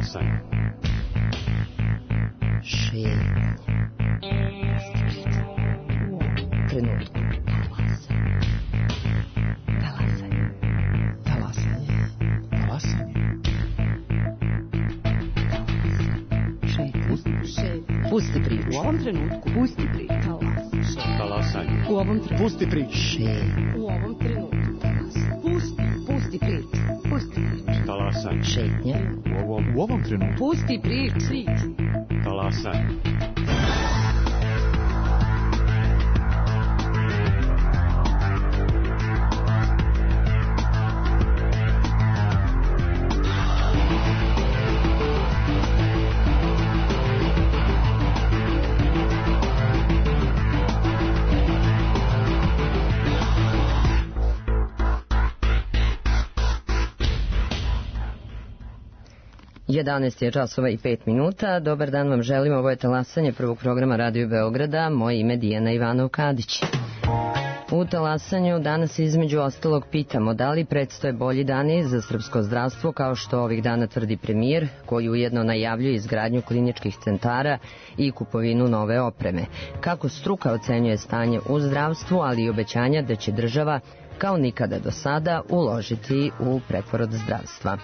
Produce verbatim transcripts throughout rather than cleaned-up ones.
Talasanje. Šetnja. Trenutku. Talasanje. Talasanje. Talasanje. Šetnja. Šetnja. Pusti priču. U ovom trenutku. Pusti priču. Talasanje. U ovom trenutku. Pusti priču. Šetnja. U ovom trenutku. Pusti. Pusti priču. Pusti priču. Talasanje. Šetnja. U ovom, U ovom trenutku. Pusti priču. talasanje. jedanaest je časova i pet minuta. Dobar dan vam želim. Ovo je talasanje prvog programa Radio Beograda. Moje ime Dijana Ivanov-Kadić. U talasanju danas između ostalog pitamo da li predstoje bolji dani za srpsko zdravstvo, kao što ovih dana tvrdi premijer, koji ujedno najavljuje izgradnju kliničkih centara i kupovinu nove opreme. Kako struka ocenjuje stanje u zdravstvu, ali i obećanja da će država kao nikada do sada uložiti u preporod zdravstva.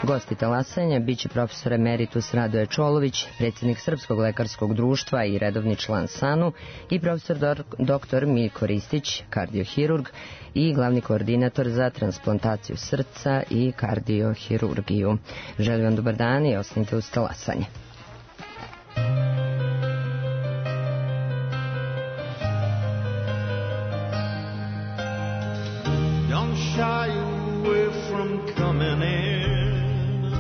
Gosti talasanja biće profesor emeritus Radoje Čolović, predsjednik Srpskog lekarskog društva i redovni član SANU, i profesor doktor Miljko Ristić, kardiohirurg i glavni koordinator za transplantaciju srca i kardiohirurgiju. Želim vam dobar dan i ostanite uz talasanje. Shy away from coming in,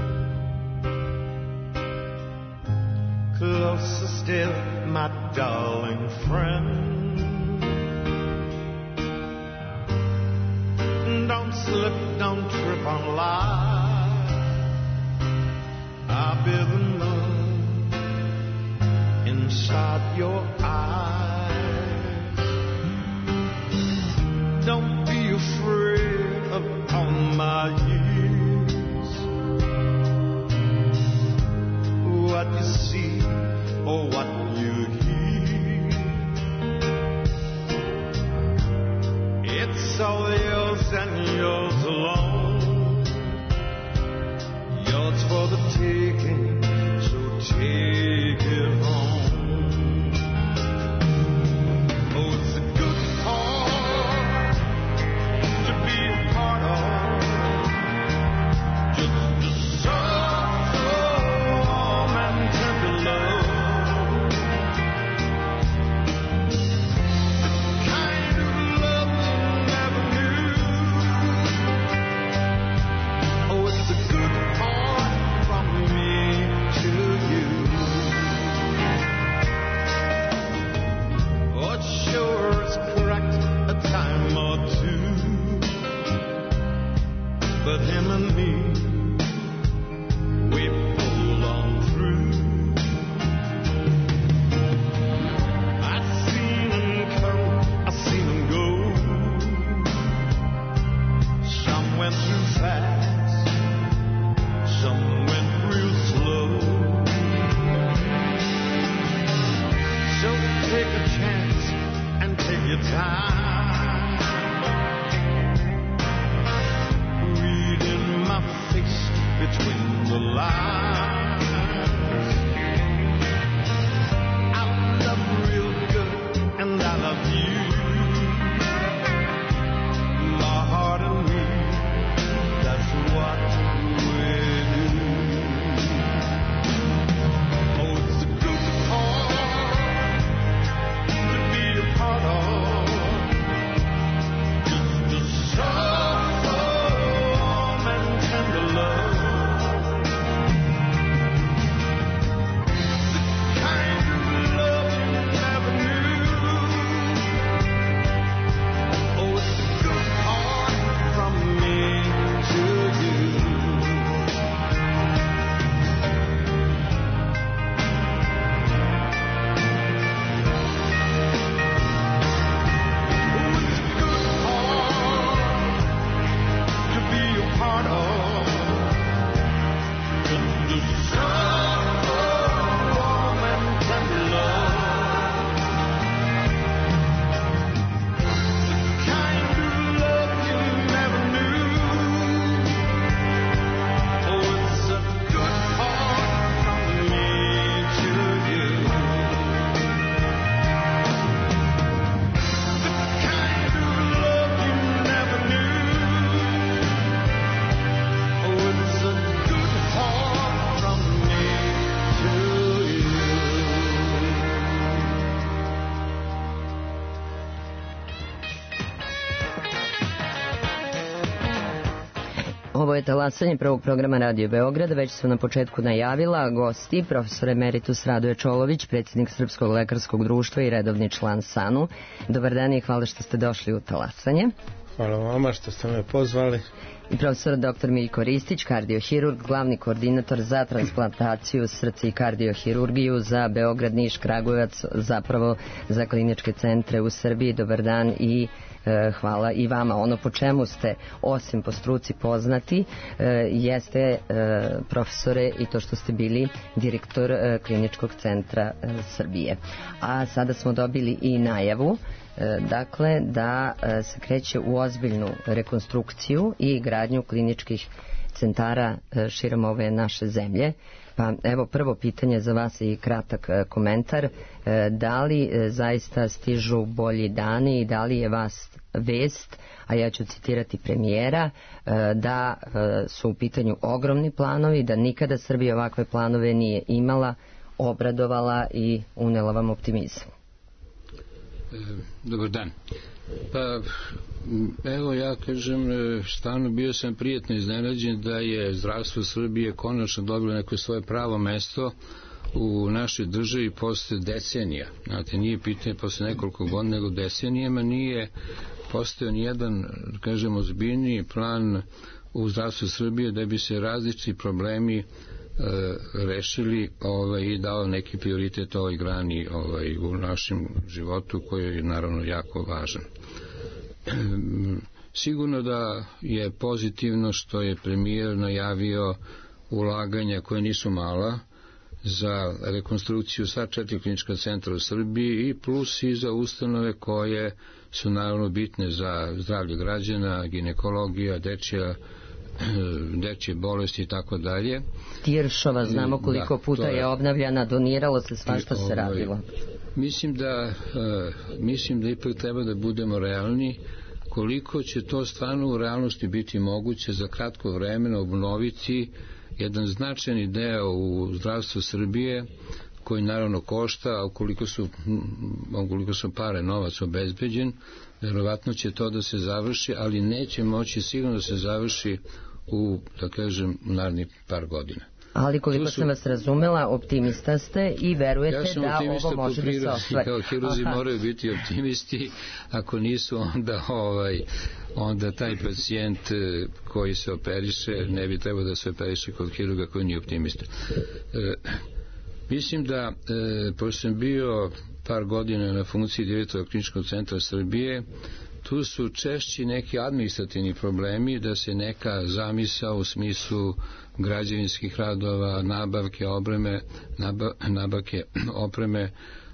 closer still, my darling friend. Don't slip, don't trip on life. I'll be the moon inside your eyes. Don't be afraid upon my years, what you see or what you hear, it's all yours and yours alone, yours for the taking, so take it home. Oh, it's a good heart to be a part of. Ovo je talasanje prvog programa Radio Beograda. Već sam na početku najavila gosti, profesor emeritus Radoje Čolović, predsjednik Srpskog lekarskog društva i redovni član S A N U. Dobar dan i hvala što ste došli u talasanje. Hvala vama što ste me pozvali. I profesor doktor Miljko Ristić, kardiohirurg, glavni koordinator za transplantaciju srca i kardiohirurgiju za Beograd, Niš, Kragujevac, zapravo za kliničke centre u Srbiji. Dobar dan i e, hvala i vama. Ono po čemu ste, osim po struci poznati, e, jeste e, profesore i to što ste bili direktor e, kliničkog centra e, Srbije. A sada smo dobili i najavu dakle da se kreće u ozbiljnu rekonstrukciju i gradnju kliničkih centara širom ove naše zemlje. Pa evo prvo pitanje za vas i kratak komentar. Da li zaista stižu bolji dani i da li je vas vest, a ja ću citirati premijera, da su u pitanju ogromni planovi, da nikada Srbija ovakve planove nije imala, obradovala i unela vam optimizam? Dobar dan. Pa, evo ja kažem, stvarno bio sam prijetno iznenađen da je zdravstvo Srbije konačno dobilo neko svoje pravo mesto u našoj državi posle decenija. Znate, nije pitanje posle nekoliko godina, nego decenijama nije postao nijedan, kažem, ozbiljniji plan u zdravstvu Srbije da bi se različiti problemi rešili ovaj, i dao neki prioritet ovoj grani ovaj, u našem životu koji je naravno jako važan. Sigurno da je pozitivno što je premijer najavio ulaganja koje nisu mala za rekonstrukciju sva četiri klinička centra u Srbiji i plus i za ustanove koje su naravno bitne za zdravlje građana, ginekologija, dečja dečje bolesti i tako dalje. Tiršova, znamo koliko da, puta je, je obnavljana, doniralo se svašta se radilo. Mislim da, uh, mislim da ipak treba da budemo realni koliko će to stvarno u realnosti biti moguće za kratko vremena obnoviti jedan značajni deo u zdravstvu Srbije koji naravno košta, a ukoliko su, ukoliko su pare, novac obezbeđen, verovatno će to da se završi, ali neće moći sigurno da se završi u, da kažem, narednih par godina. Ali koliko su, sam vas razumela, optimista ste i verujete ja da ovo može da se ostvari. Kao hiruzi moraju biti optimisti, ako nisu onda, ovaj, onda taj pacijent koji se operiše ne bi trebao da se operiše kod hiruga koji nije optimista. E, mislim da, e, pošto sam bio par godina na funkciji direktora kliničkog centra Srbije, tu su češći neki administrativni problemi da se neka zamisao u smislu građevinskih radova, nabavke opreme, naba, nabavke opreme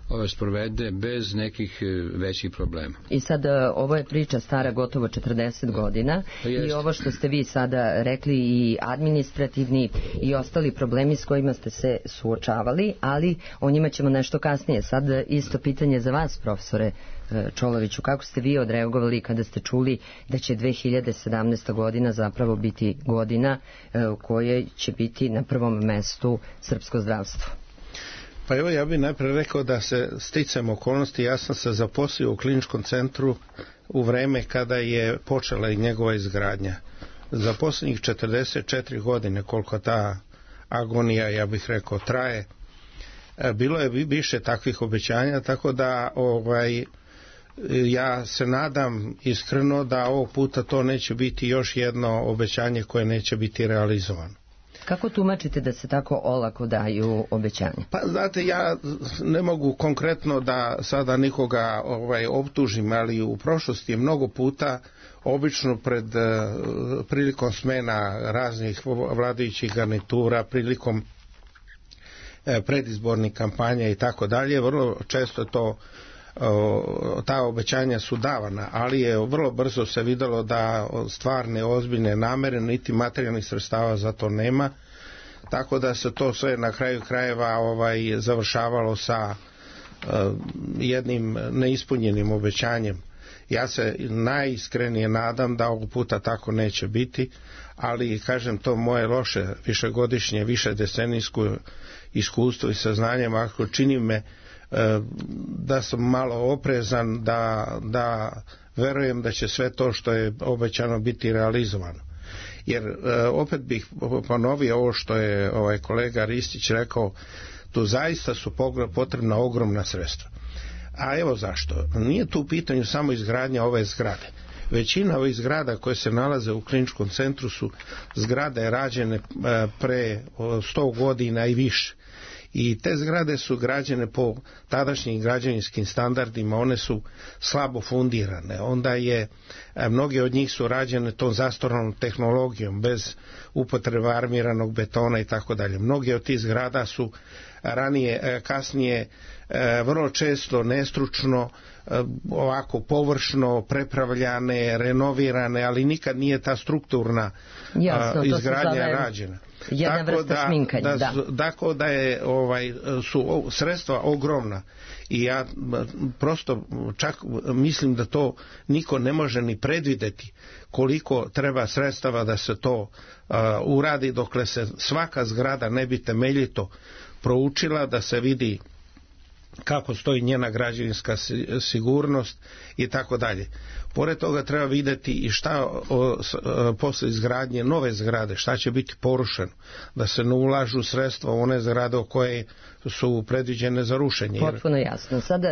ove sprovede bez nekih većih problema. I sad ovo je priča stara gotovo četrdeset godina i ovo što ste vi sada rekli i administrativni i ostali problemi s kojima ste se suočavali, ali o njima ćemo nešto kasnije. Sad isto pitanje za vas, profesore Čoloviću, kako ste vi odreagovali kada ste čuli da će dve hiljade sedamnaesta godina zapravo biti godina u kojoj će biti na prvom mestu srpsko zdravstvo? Pa evo, ja bih najprije rekao da se sticam okolnosti, ja sam se zaposlio u kliničkom centru u vreme kada je počela i njegova izgradnja. Za posljednjih četrdeset četiri godine, koliko ta agonija, ja bih rekao, traje, bilo je više takvih obećanja, tako da ovaj, ja se nadam iskreno da ovog puta to neće biti još jedno obećanje koje neće biti realizovano. Kako tumačite da se tako olako daju obećanja? Pa znate, ja ne mogu konkretno da sada nikoga ovaj, optužim, ali u prošlosti je mnogo puta, obično pred prilikom smena raznih vladajućih garnitura, prilikom predizbornih kampanja i tako dalje, vrlo često to ta obećanja su davana, ali je vrlo brzo se videlo da stvarne ozbiljne namere niti materijalnih sredstava za to nema, tako da se to sve na kraju krajeva ovaj, završavalo sa uh, jednim neispunjenim obećanjem. Ja se najiskrenije nadam da ovog puta tako neće biti, ali kažem, to moje loše višegodišnje, višedecenijsko iskustvo i saznanje ako čini me da sam malo oprezan, da, da verujem da će sve to što je obećano biti realizovano. Jer e, opet bih ponovio ovo što je ovaj kolega Ristić rekao, tu zaista su potrebna ogromna sredstva. A evo zašto. Nije tu u pitanju samo izgradnja ove zgrade. Većina ovih zgrada koje se nalaze u kliničkom centru su zgrade rađene pre sto godina i više. I te zgrade su građene po tadašnjim građevinskim standardima, one su slabo fundirane. Onda je, mnoge od njih su rađene tom zastarjelom tehnologijom, bez upotrebe armiranog betona i tako dalje. Mnoge od tih zgrada su ranije, kasnije, vrlo često nestručno, ovako površno prepravljane, renovirane, ali nikad nije ta strukturna Jasno, izgradnja rađena. Jedna tako vrsta da, šminkanja, da, da. Tako da je, ovaj, su sredstva ogromna i ja prosto čak mislim da to niko ne može ni predvideti koliko treba sredstava da se to uh, uradi, dokle se svaka zgrada ne bi temeljito proučila, da se vidi kako stoji njena građevinska sigurnost i tako dalje. Pored toga treba vidjeti i šta o, o, posle izgradnje nove zgrade, šta će biti porušeno, da se ne ulažu sredstva u one zgrade o koje su predviđene za rušenje. Potpuno jasno. Sada,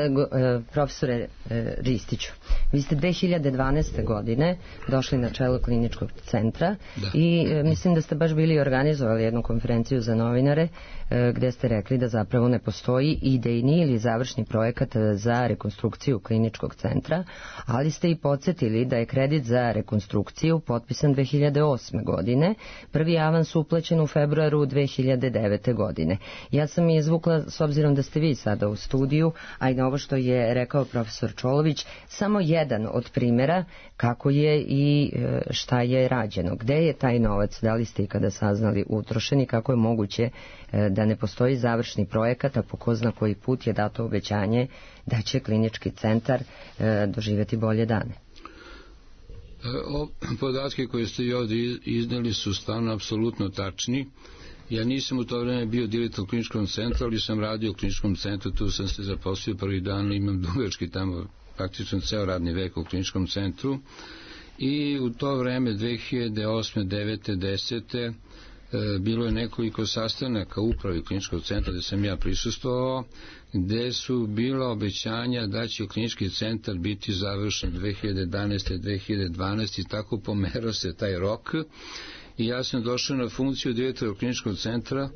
profesore Ristiću, vi ste dve hiljade dvanaeste. godine došli na čelo kliničkog centra da. i mislim da ste baš bili organizovali jednu konferenciju za novinare gde ste rekli da zapravo ne postoji idejni ili završni projekat za rekonstrukciju kliničkog centra, ali ste i podsjetili da je kredit za rekonstrukciju potpisan dve hiljade osme. godine, prvi avans uplaćen u februaru dve hiljade devete. godine. Ja sam je izvukla, s obzirom da ste vi sada u studiju, a i na ovo što je rekao profesor Čolović, samo jedan od primjera kako je i šta je rađeno. Gde je taj novac, da li ste i kada saznali utrošeni, kako je moguće da ne postoji završni projekat, a po ko zna koji put je dato obećanje da će klinički centar doživjeti bolje dane. O, podatke koje ste i ovdje izneli su stvarno apsolutno tačni. Ja nisam u to vreme bio direktor kliničkog centra, ali sam radio u kliničkom centru, tu sam se zaposlio prvi dan, imam dugački tamo praktično ceo radni vek u kliničkom centru. I u to vreme dve hiljade osme. devete. desete. bilo je nekoliko sastanaka upravi kliničkog centra gde sam ja prisustvovao, gde su bila obećanja da će klinički centar biti završen dve hiljade jedanaeste. dve hiljade dvanaeste. i tako pomerao se taj rok. I ja sam došao na funkciju direktora kliničkog centra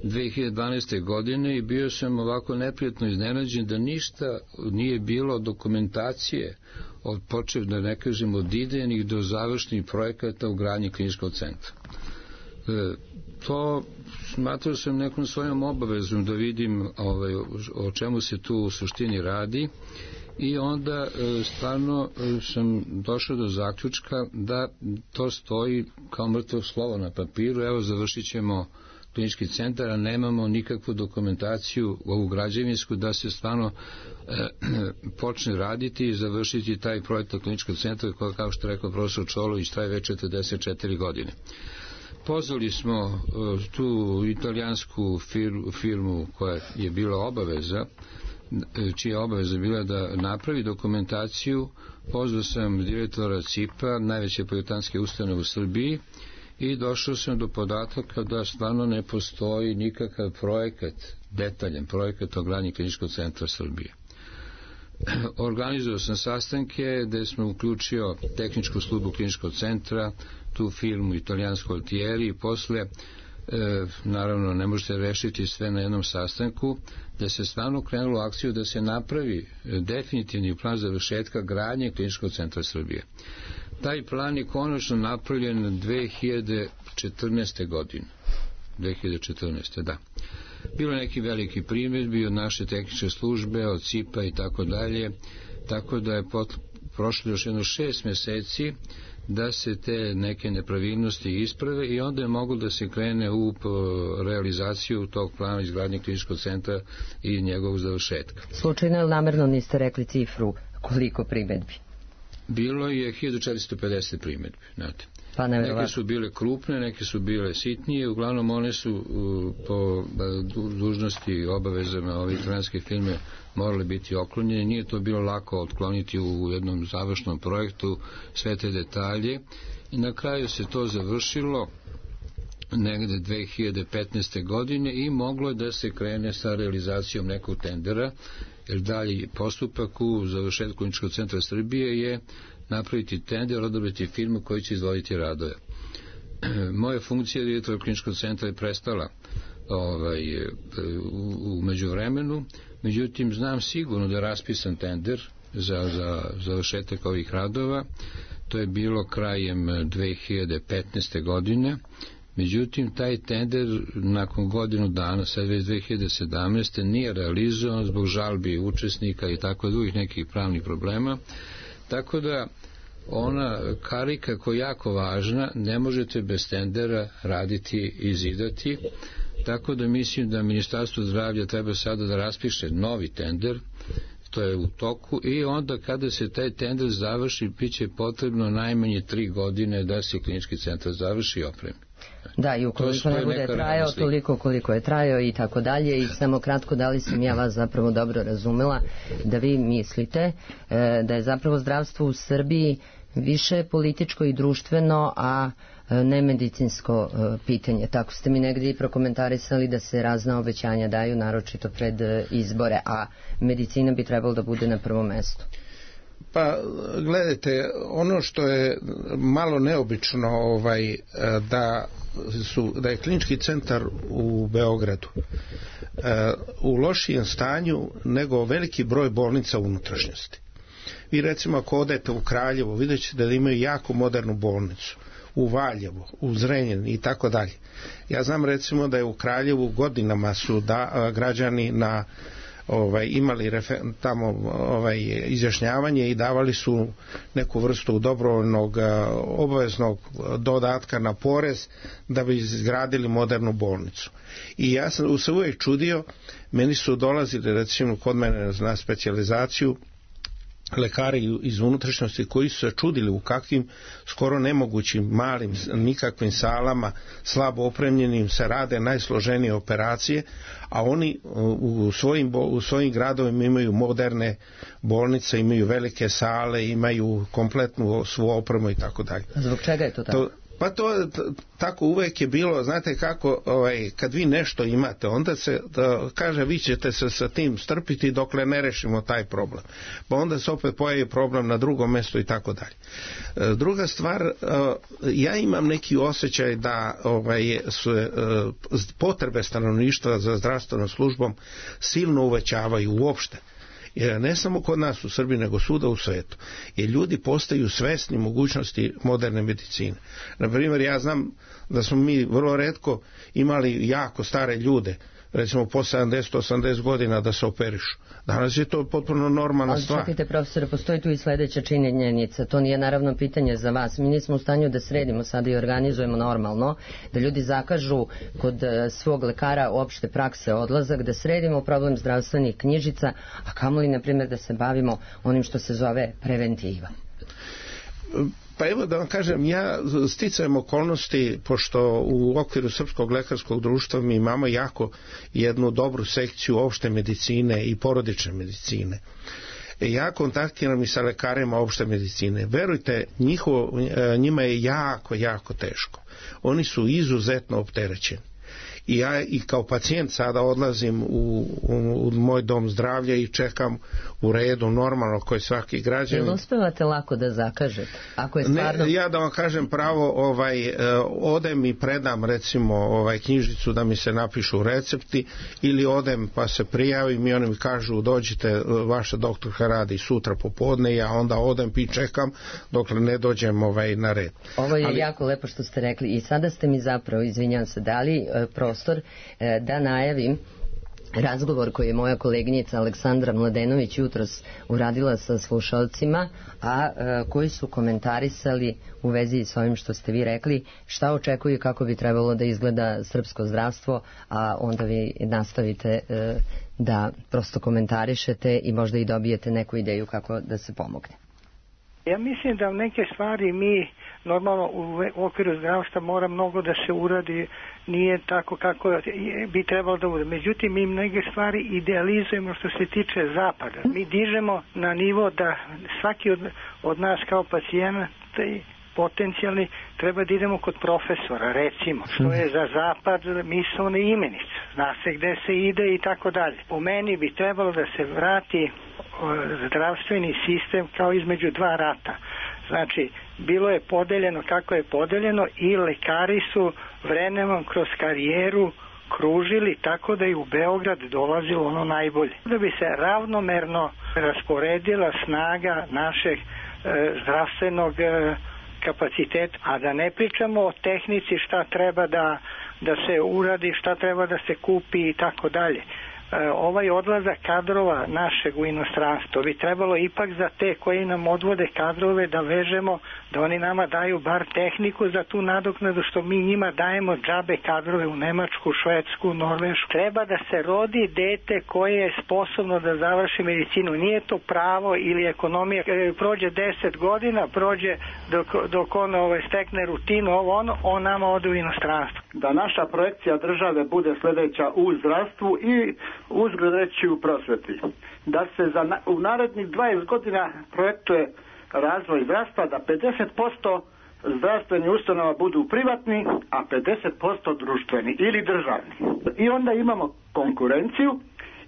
dve hiljade dvanaeste. godine i bio sam ovako neprijatno iznenađen da ništa nije bilo dokumentacije od počev, da ne kažem, od idejnih do završnih projekata u gradnji kliničkog centra. E, to smatrao sam nekom svojom obavezom da vidim ovaj, o čemu se tu u suštini radi. I onda e, stvarno e, sam došao do zaključka da to stoji kao mrtvo slovo na papiru. Evo, završit ćemo klinički centar, a nemamo nikakvu dokumentaciju ovu građevinsku da se stvarno e, počne raditi i završiti taj projekat kliničkog centra koji, kao što rekao profesor Čolović, traje već četrdeset četiri godine. Pozvali smo e, tu italijansku firmu, firmu koja je bila obaveza, čija obaveza bila da napravi dokumentaciju. Pozvao sam direktora C I P-a, najveće projektantske ustanove u Srbiji, i došao sam do podataka da stvarno ne postoji nikakav projekat, detaljan projekat o gradnji kliničkog centra Srbije. Organizovao sam sastanke gde smo uključio tehničku službu kliničkog centra, tu firmu italijansku Altieri, i posle E, naravno ne možete rešiti sve na jednom sastanku, da se stvarno krenulo u akciju da se napravi definitivni plan završetka gradnje kliničkog centra Srbije. Taj plan je konačno napravljen dve hiljade četrnaeste. godine. dve hiljade četrnaeste. da. Bilo neki veliki primjedbi od naše tehničke službe, od C I P-a i tako dalje, tako da je pot, prošlo još jedno šest meseci da se te neke nepravilnosti isprave i onda je moglo da se krene u realizaciju tog plana izgradnje kliničkog centra i njegovog završetka. Slučajno ili namerno niste rekli cifru koliko primedbi? bilo je hiljadu četiristo pedeset primjedbi, znate. Pa neke su bile krupne, neke su bile sitnije, uglavnom one su uh, po uh, dužnosti i obavezama ove italijanske filme morale biti oklonjene. Nije to bilo lako otkloniti u jednom završnom projektu sve te detalje i na kraju se to završilo negde dve hiljade petnaeste. godine i moglo je da se krene sa realizacijom nekog tendera, jer dalje postupak u završetku Kliničkog centra Srbije je napraviti tender, odabrati firmu koji će izvoditi radove. Moja funkcija direktora Kliničkog centra je prestala ovaj, u, u međuvremenu, međutim znam sigurno da je raspisan tender za, za završetak ovih radova. To je bilo krajem dve hiljade petnaeste. godine. Međutim, taj tender nakon godinu dana, sad već dve hiljade sedamnaeste. nije realizovan zbog žalbi učesnika i tako drugih nekih pravnih problema. Tako da ona karika koja je jako važna, ne možete bez tendera raditi i zidati. Tako da mislim da Ministarstvo zdravlja treba sada da raspiše novi tender, to je u toku, i onda kada se taj tender završi, bit će potrebno najmanje tri godine da se klinički centar završi i opremi. Da, i ukoliko ne bude trajao toliko koliko je trajao i tako dalje. I samo kratko, da li sam ja vas zapravo dobro razumela, da vi mislite e, da je zapravo zdravstvo u Srbiji više političko i društveno, a ne medicinsko e, pitanje. Tako ste mi negdje i prokomentarisali da se razna obećanja daju, naročito pred e, izbore, a medicina bi trebalo da bude na prvom mestu. Pa gledajte, ono što je malo neobično ovaj, da, su, da je klinički centar u Beogradu u lošijem stanju nego veliki broj bolnica u unutrašnjosti. Vi recimo ako odete u Kraljevo, vidjet ćete da imaju jako modernu bolnicu, u Valjevu, u Zrenjaninu i tako dalje. Ja znam recimo da je u Kraljevu godinama su da, građani na Ovaj, imali refer, tamo ovaj, izjašnjavanje i davali su neku vrstu dobrovoljnog obaveznog dodatka na porez da bi izgradili modernu bolnicu. I ja sam se uvijek čudio, meni su dolazili recimo kod mene na specijalizaciju lekari iz unutrašnjosti koji su se čudili u kakvim skoro nemogućim malim nikakvim salama slabo opremljenim se rade najsloženije operacije, a oni u svojim, u svojim gradovima imaju moderne bolnice, imaju velike sale, imaju kompletnu svu opremu i tako dalje. Zbog čega je to tako? To, Pa to tako uvek je bilo, znate kako, ovaj, kad vi nešto imate, onda se da, kaže vi ćete se sa tim strpiti dokle ne rešimo taj problem. Pa onda se opet pojavi problem na drugom mjestu i tako dalje. Druga stvar, ja imam neki osjećaj da ovaj, su potrebe stanovništva za zdravstvenom službom silno uvećavaju uopšte. Jer ne samo kod nas u Srbiji, nego svuda u svetu. Jer ljudi postaju svesni mogućnosti moderne medicine. Na primjer, ja znam da smo mi vrlo retko imali jako stare ljude, recimo po sedamdeset osamdeset godina da se operišu. Danas je to potpuno normalna stvar. Ali čekajte, profesore, postoji tu i sledeća činjenica. To nije naravno pitanje za vas. Mi nismo u stanju da sredimo sada i organizujemo normalno, da ljudi zakažu kod svog lekara opšte prakse odlazak, da sredimo problem zdravstvenih knjižica, a kamoli, na primjer, da se bavimo onim što se zove preventiva. Pa evo da vam kažem, ja sticajem okolnosti, pošto u okviru Srpskog lekarskog društva mi imamo jako jednu dobru sekciju opšte medicine i porodične medicine. Ja kontaktiram i sa lekarima opšte medicine. Verujte, njihovo, njima je jako, jako teško. Oni su izuzetno opterećeni. I ja i kao pacijent sada odlazim u, u, u moj dom zdravlja i čekam u redu normalno koji svaki građanin. Jel uspevate lako da zakažete? Ako je stvarno... Ne, ja da vam kažem pravo, ovaj, odem i predam recimo ovaj, knjižicu da mi se napišu recepti, ili odem pa se prijavim i oni mi kažu dođite, vaša doktorka radi sutra popodne, ja onda odem i čekam dokle ne dođem ovaj, na red. Ovo je Ali... jako lepo što ste rekli i sada ste mi zapravo, izvinjam se, dali prostor da najavim razgovor koji je moja koleginica Aleksandra Mladenović jutros uradila sa slušalcima, a koji su komentarisali u vezi s ovim što ste vi rekli, šta očekuju kako bi trebalo da izgleda srpsko zdravstvo, a onda vi nastavite da prosto komentarišete i možda i dobijete neku ideju kako da se pomogne. Ja mislim da neke stvari mi normalno u okviru zdravstva mora mnogo da se uradi, nije tako kako bi trebalo da bude. Međutim, mi neke stvari idealizujemo što se tiče zapada. Mi dižemo na nivo da svaki od, od nas kao pacijenta potencijalni treba da idemo kod profesora, recimo, što je za zapad misaona imenica, zna se gde se ide i tako dalje. Po meni bi trebalo da se vrati zdravstveni sistem kao između dva rata. Znači, bilo je podeljeno kako je podeljeno i lekari su vremenom kroz karijeru kružili tako da je u Beograd dolazilo ono najbolje. Da bi se ravnomerno rasporedila snaga našeg e, zdravstvenog e, kapaciteta, a da ne pričamo o tehnici šta treba da, da se uradi, šta treba da se kupi i tako dalje. Ovaj odlazak kadrova našeg u inostranstvo bi trebalo ipak za te koji nam odvode kadrove da vežemo, da oni nama daju bar tehniku za tu nadoknadu što mi njima dajemo džabe kadrove u Nemačku, Švedsku, Norvešku. Treba da se rodi dete koje je sposobno da završi medicinu. Nije to pravo ili ekonomija. Prođe deset godina, prođe dok, dok on ovaj, stekne rutinu, ovo ono, on nama ode u inostranstvo. Da naša projekcija države bude sledeća u zdravstvu i uzgled reći u prosveti. Da se za na, u narednih dvadeset godina projektuje razvoj zdravstva, da pedeset posto zdravstveni ustanova budu privatni, a pedeset posto društveni ili državni. I onda imamo konkurenciju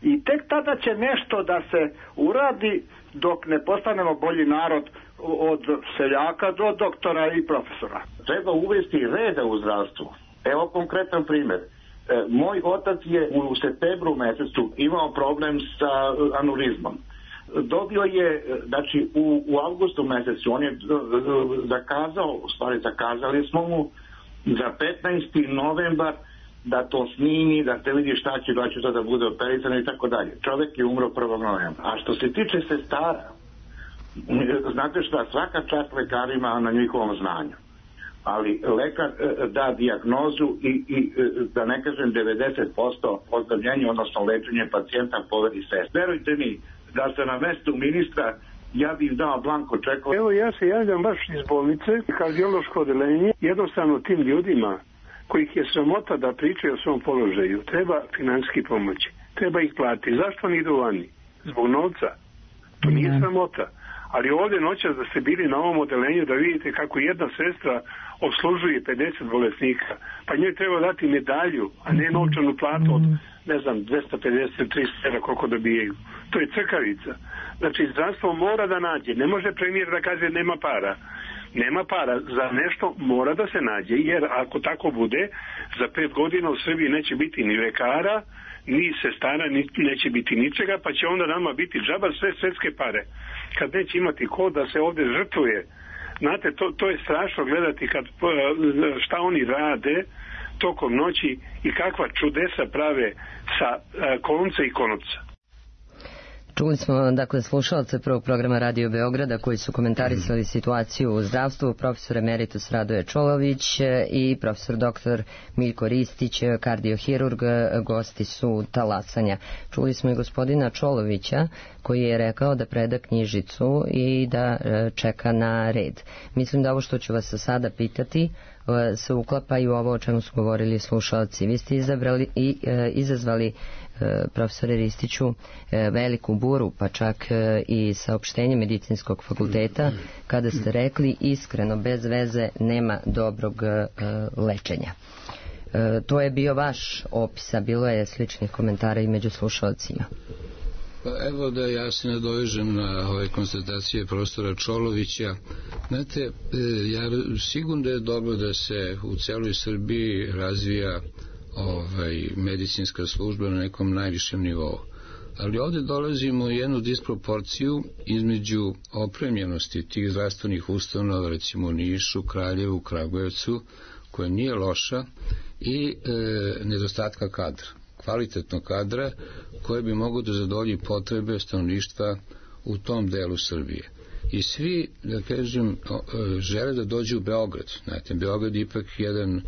i tek tada će nešto da se uradi dok ne postanemo bolji narod od seljaka do doktora i profesora. Treba uvesti reda u zdravstvu. Evo konkretan primjer. E, moj otac je u septembru mesecu imao problem sa anurizmom. Dobio je, znači u, u avgustu mesecu, on je zakazao, u stvari zakazali smo mu za petnaesti novembar da to snimi, da se vidi šta će doći to da bude operisano i tako dalje. Čovjek je umro prvog novembra. A što se tiče sestara, znate šta, svaka čast lekarima na njihovom znanju. Ali lekar da dijagnozu i, i da ne kažem devedeset posto ozdravljenja, odnosno lečenje pacijenta poveri sest. Verujte mi, da se na mestu ministra ja bih dao blanko čekova. Evo ja se javljam baš iz bolnice, kardiološko odeljenje, jednostavno tim ljudima kojih je sramota da pričaju o svom položaju, treba finansijski pomoći, treba ih platiti. Zašto oni idu vani? Zbog novca. To nije ja. sramota. Ali ovdje noćas da ste bili na ovom odelenju da vidite kako jedna sestra obslužuje pedeset bolesnika, pa njoj treba dati medalju, a ne novčanu platu od, ne znam, dvesta pedeset do trista evra koliko dobijaju. To je crkavica. Znači, zdravstvo mora da nađe. Ne može premijer da kaže nema para. Nema para. Za nešto mora da se nađe, jer ako tako bude, za pet godina u Srbiji neće biti ni lekara, ni sestara, ni, neće biti ničega, pa će onda nama biti džabar sve svetske pare. Kad neće imati ko da se ovdje žrtvuje. Znate, to, to je strašno gledati kad, šta oni rade tokom noći i kakva čudesa prave sa konca i konopca. Čuli smo, dakle, slušalce prvog programa Radio Beograda koji su komentarisali mm. situaciju u zdravstvu, profesor emeritus Radoje Čolović i profesor doktor Miljko Ristić, kardiohirurg, gosti su talasanja. Čuli smo i gospodina Čolovića koji je rekao da preda knjižicu i da čeka na red. Mislim da ovo što ću vas sada pitati se uklapa i u ovo o čemu su govorili slušalci. Vi ste izabrali i e, izazvali profesore Ristiću veliku buru, pa čak i saopštenje medicinskog fakulteta kada ste rekli iskreno, bez veze nema dobrog lečenja. To je bio vaš opis, a bilo je sličnih komentara i među slušalcima. Pa evo da ja se nadovežem na ove konstatacije profesora Čolovića. Znate, ja sigurno da je dobro da se u celoj Srbiji razvija ovaj, medicinska služba na nekom najvišem nivou. Ali ovdje dolazimo u jednu disproporciju između opremljenosti tih zdravstvenih ustanova, recimo u Nišu, Kraljevu, Kragujevcu, koja nije loša, i e, nedostatka kadra, kvalitetnog kadra koje bi mogo da zadovolji potrebe stanovništva u tom delu Srbije. I svi, da kažem, žele da dođu u Beograd. Znate, Beograd je ipak jedan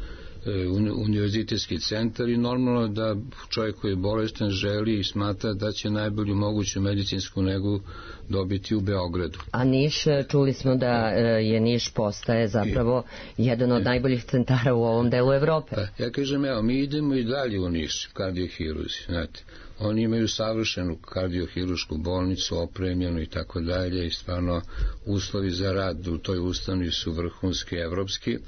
univerzitetski centar i normalno da čovjek koji je bolestan želi i smatra da će najbolju moguću medicinsku negu dobiti u Beogradu. A Niš, čuli smo da je Niš postaje zapravo jedan od najboljih centara u ovom delu Evrope. Pa, ja kažem, evo, mi idemo i dalje u Niš, kardiohiruzi, znate. Oni imaju savršenu kardiohirušku bolnicu, opremljenu i tako dalje i stvarno uslovi za rad u toj ustanovi su vrhunski, evropski,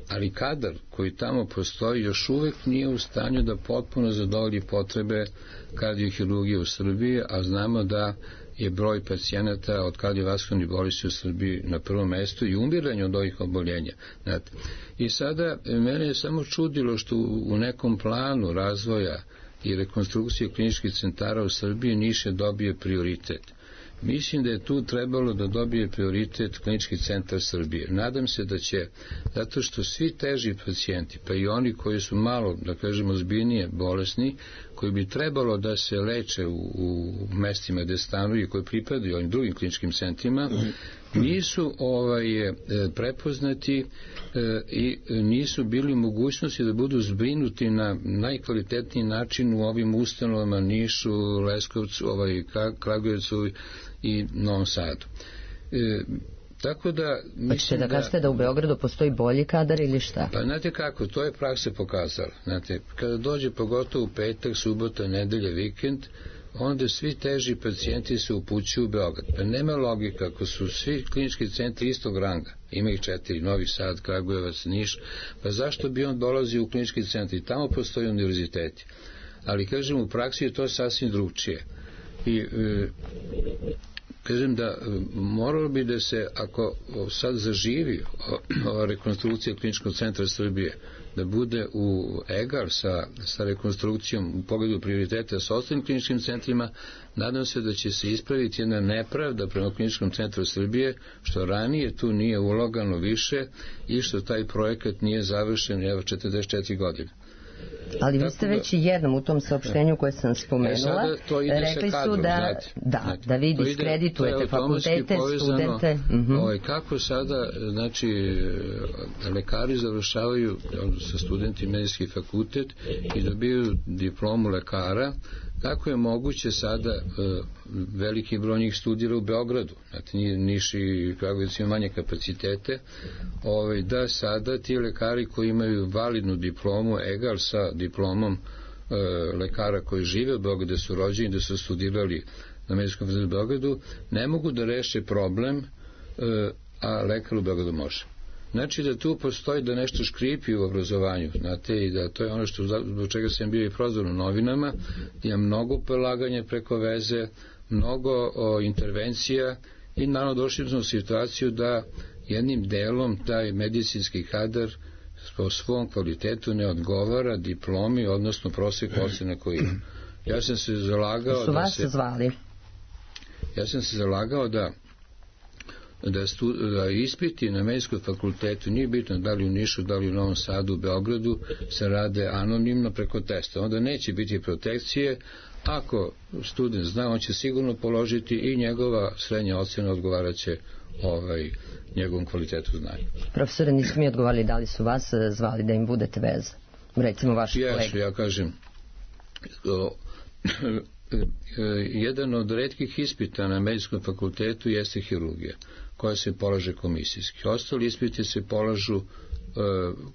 ali kadar koji tamo postoji još uvek nije u stanju da potpuno zadovolji potrebe kardiohirurgije u Srbiji, a znamo da je broj pacijenata od kardiovaskularnih bolesti u Srbiji na prvom mestu i umiranje od ovih oboljenja. Znate. I sada mene je samo čudilo što u nekom planu razvoja i rekonstrukcije kliničkih centara u Srbiji Niš je dobio prioritet. Mislim da je tu trebalo da dobije prioritet klinički centar Srbije. Nadam se da će, zato što svi teži pacijenti, pa i oni koji su malo, da kažemo, zbiljnije bolesni, koji bi trebalo da se leče u, u mestima gde stanuju i koji pripadaju ovim drugim kliničkim centrima, nisu ovaj, prepoznati e, i nisu bili u mogućnosti da budu zbrinuti na najkvalitetniji način u ovim ustanovama Nišu, Leskovcu, ovaj, Kragujevcu i Novom Sadu. E, tako da... Hoćete da kažete da u Beogradu postoji bolji kadar ili šta? Pa znate kako, to je praksa pokazala. Znate, kada dođe pogotovo u petak, subota, nedelja, vikend, onda svi teži pacijenti se upućuju u Beograd. Pa nema logika, ako su svi klinički centri istog ranga, ima ih četiri, Novi Sad, Kragujevac, Niš, pa zašto bi on dolazio u klinički centri? Tamo postoji univerziteti. Ali, kažem, u praksi je to sasvim drugčije. I e, kažem da moralo bi da se, ako sad zaživi ova rekonstrukcija kliničkog centra Srbije, da bude u egal sa, sa rekonstrukcijom u pogledu prioriteta sa ostalim kliničkim centrima, nadam se da će se ispraviti jedna nepravda prema kliničkom centru Srbije, što ranije tu nije ulagano više i što taj projekat nije završen evo četrdeset četiri godine. Ali vi ste već jednom u tom saopštenju koje sam spomenula, e, rekli kadrom, su da, znate, da, znate, da vi ide, diskreditujete fakultete, studente. Uh-huh. Ovaj, kako sada, znači, lekari završavaju sa studenti medicinski fakultet i dobiju diplomu lekara, kako je moguće sada uh, veliki broj njih studira u Beogradu, znači Niš i Kragujevac ima manje kapacitete, ovaj, da sada ti lekari koji imaju validnu diplomu, egal sa diplomom uh, lekara koji žive u Beogradu, da su rođeni, da su studirali na medicinskom fakultetu u Beogradu, ne mogu da reše problem, uh, a lekar u Beogradu može. Znači da tu postoji da nešto škripi u obrazovanju, znate, i da to je ono što zbog čega sam bio i prozvan u novinama, da ima mnogo prelaganja preko veze, mnogo o, intervencija i naravno došli smo u situaciju da jednim delom taj medicinski kadar po svom kvalitetu ne odgovara diplomi, odnosno prosek ocene koji ima. Ja sam se zalagao su da vas se... zvali? Ja sam se zalagao da Da, stu, da ispiti na medicinskom fakultetu, nije bitno da li u Nišu, da li u Novom Sadu, u Beogradu, se rade anonimno preko testa. Onda neće biti protekcije. Ako student zna, on će sigurno položiti i njegova srednja ocena odgovaraće ovaj, njegovom kvalitetu znanja. Profesore, nisu mi odgovarali da li su vas zvali da im budete veza? Recimo vaši Jesu, kolege. ja kažem... O, jedan od retkih ispita na medicinskom fakultetu jeste hirurgija, koja se polaže komisijski. Ostali ispiti se polažu uh,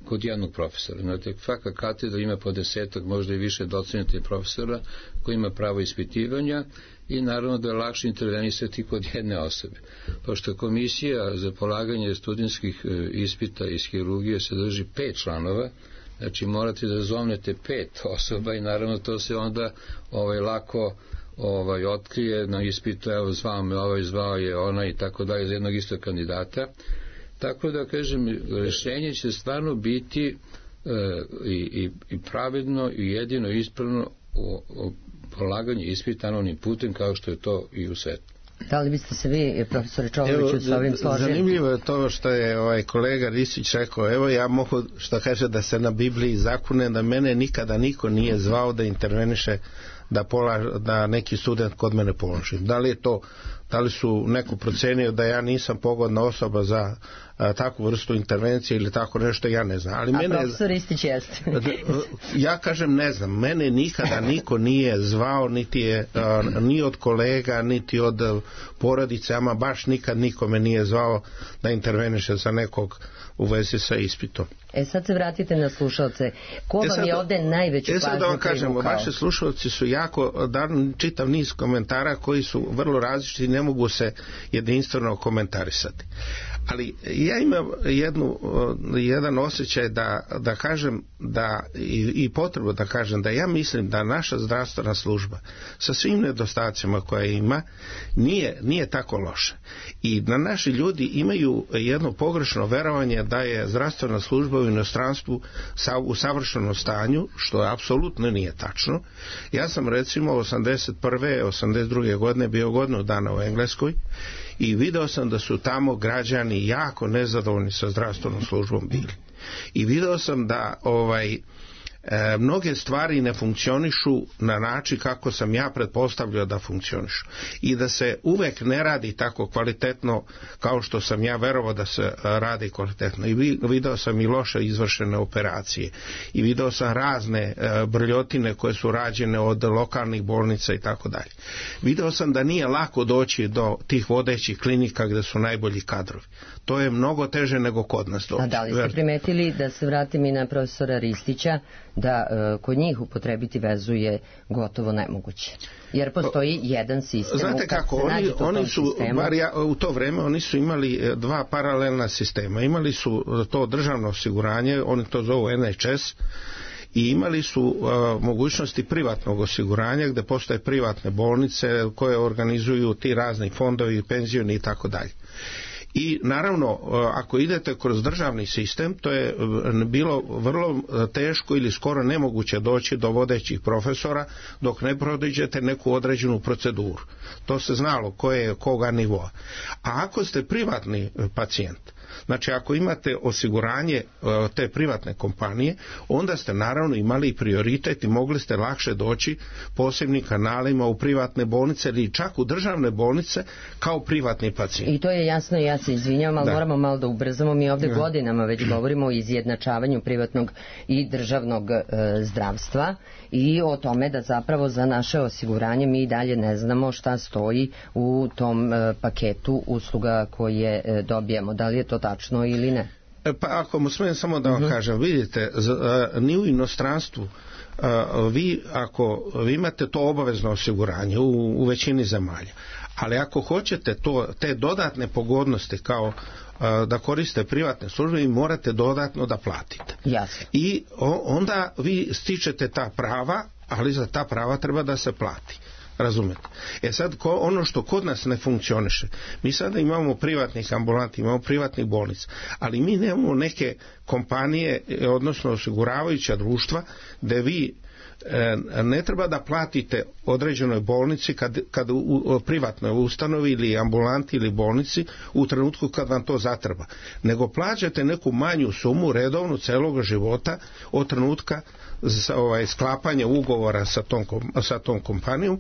kod jednog profesora. Znate, svaka katedra ima po desetak, možda i više docenata i profesora koji ima pravo ispitivanja i naravno da je lakše intervenisati kod jedne osobe. Pošto komisija za polaganje studentskih uh, ispita iz hirurgije sadrži pet članova, znači morate da zovnete pet osoba i naravno to se onda ovaj, lako ovaj, otkrije na ispitu, evo zvao me ovaj, zvao je ona i tako dalje za jednog istog kandidata. Tako da kažem, rešenje će stvarno biti e, i, i, i pravedno i jedino ispravno o, o polaganje ispita anonimnim putem kao što je to i u svetu. Da li biste se vi, profesore Čoloviću, s ovim složili? Zanimljivo je to što je ovaj kolega Ristić rekao, evo ja mogu, što kaže, da se na Bibliji zakune da mene nikada niko nije zvao da interveniše da, pola, da neki student kod mene položi. Da li je to da li su neko procenio da ja nisam pogodna osoba za a, takvu vrstu intervencije ili tako nešto, ja ne znam. Ali a mene, profesor Ristić jeste. Ja kažem ne znam, mene nikada niko nije zvao, niti je a, ni od kolega, niti od porodice, ama baš nikad niko me nije zvao da interveniše za nekog u vezi sa ispitom. E sad se vratite na slušalce. Ko vam e sad, je ovde najveću pažnju privukao? E sad da vam kažemo, vaši slušalci su jako dan čitav niz komentara koji su vrlo različiti i ne mogu se jedinstveno komentarisati. Ali ja imam jednu, jedan osjećaj da, da kažem da i, i potrebu da kažem da ja mislim da naša zdravstvena služba sa svim nedostacima koje ima nije, nije tako loša. I da naši ljudi imaju jedno pogrešno verovanje da je zdravstvena služba u inostranstvu u savršenom stanju, što apsolutno nije tačno. Ja sam recimo osamdeset prve osamdeset druge godine bio godinu dana u Engleskoj i video sam da su tamo građani jako nezadovoljni sa zdravstvenom službom bili. I video sam da ovaj E, mnoge stvari ne funkcionišu na način kako sam ja pretpostavljao da funkcionišu i da se uvek ne radi tako kvalitetno kao što sam ja verovao da se radi kvalitetno. I video sam i loše izvršene operacije i video sam razne e, brljotine koje su rađene od lokalnih bolnica i tako dalje. Video sam da nije lako doći do tih vodećih klinika gde su najbolji kadrovi. To je mnogo teže nego kod nas doći. A da li ste primetili, da se vratim i na profesora Ristića, da e, kod njih upotrebiti vezu je gotovo nemoguće? Jer postoji jedan sistem. Znate kako, oni, oni su, bar ja, u to vreme oni su imali dva paralelna sistema. Imali su to državno osiguranje, oni to zovu N H S, i imali su uh, mogućnosti privatnog osiguranja gde postoje privatne bolnice koje organizuju ti razni fondovi, penzioni i tako dalje. I naravno, ako idete kroz državni sistem, to je bilo vrlo teško ili skoro nemoguće doći do vodećih profesora dok ne prođete neku određenu proceduru. To se znalo koje je koga nivoa. A ako ste privatni pacijent, znači ako imate osiguranje te privatne kompanije, onda ste naravno imali prioritet i mogli ste lakše doći posebnim kanalima u privatne bolnice ili čak u državne bolnice kao privatni pacijent. I to je jasno, ja se izvinjavam, ali da. moramo malo da ubrzamo. Mi ovde da. godinama već govorimo o izjednačavanju privatnog i državnog e, zdravstva i o tome da zapravo za naše osiguranje mi dalje ne znamo šta stoji u tom e, paketu usluga koje e, dobijemo. Da li je to tačno ili ne? Pa ako mu smijem samo da vam uh-huh. kažem, vidite, z, a, ni u inostranstvu a, vi ako vi imate to obavezno osiguranje u, u većini zemalja, ali ako hoćete to, te dodatne pogodnosti kao a, da koriste privatne službe, vi morate dodatno da platite. Jasno. I o, onda vi stičete ta prava, ali za ta prava treba da se plati. Razumete? E sad, ko, ono što kod nas ne funkcioniše, mi sada imamo privatnih ambulanti, imamo privatnih bolnica, ali mi nemamo neke kompanije, odnosno osiguravajuća društva, gde vi e, ne treba da platite određenoj bolnici kad, kad u, u privatnoj ustanovi ili ambulanti ili bolnici u trenutku kad vam to zatreba, nego plaćate neku manju sumu redovnu celog života od trenutka za, ovaj, sklapanja ugovora sa tom, sa tom kompanijom.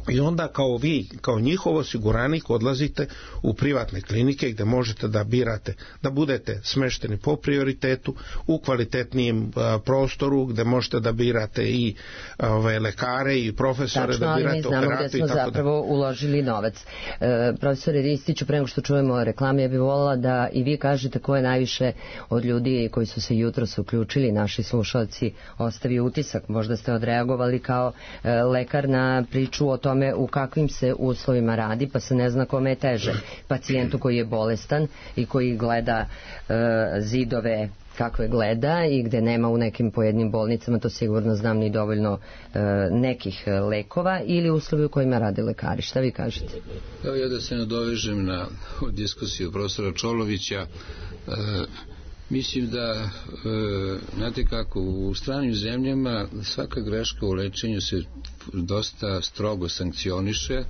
I onda kao vi, kao njihov osiguranik odlazite u privatne klinike gde možete da birate, da budete smešteni po prioritetu u kvalitetnijem a, prostoru gde možete da birate i ove, lekare i profesore. Tačno, da birate operatu i tako dalje. Tačno, ali mi znamo gde smo zapravo da... uložili novac. E, profesore Ristiću, pre nego što čujemo reklame, ja bih volila da i vi kažete ko je najviše od ljudi koji su se jutros uključili, naši slušalci, ostavio utisak. Možda ste odreagovali kao e, lekar na priču o tome u kakvim se uslovima radi, pa se ne zna kome je teže. Pacijentu koji je bolestan i koji gleda e, zidove kakve gleda i gde nema u nekim pojednim bolnicama, to sigurno znam, ni dovoljno e, nekih lekova, ili uslovi u kojima rade lekari. Šta vi kažete? Evo ja da se nadovežem na diskusiju profesora Čolovića. E, Mislim da, e, znate kako, u stranim zemljama svaka greška u lečenju se dosta strogo sankcioniše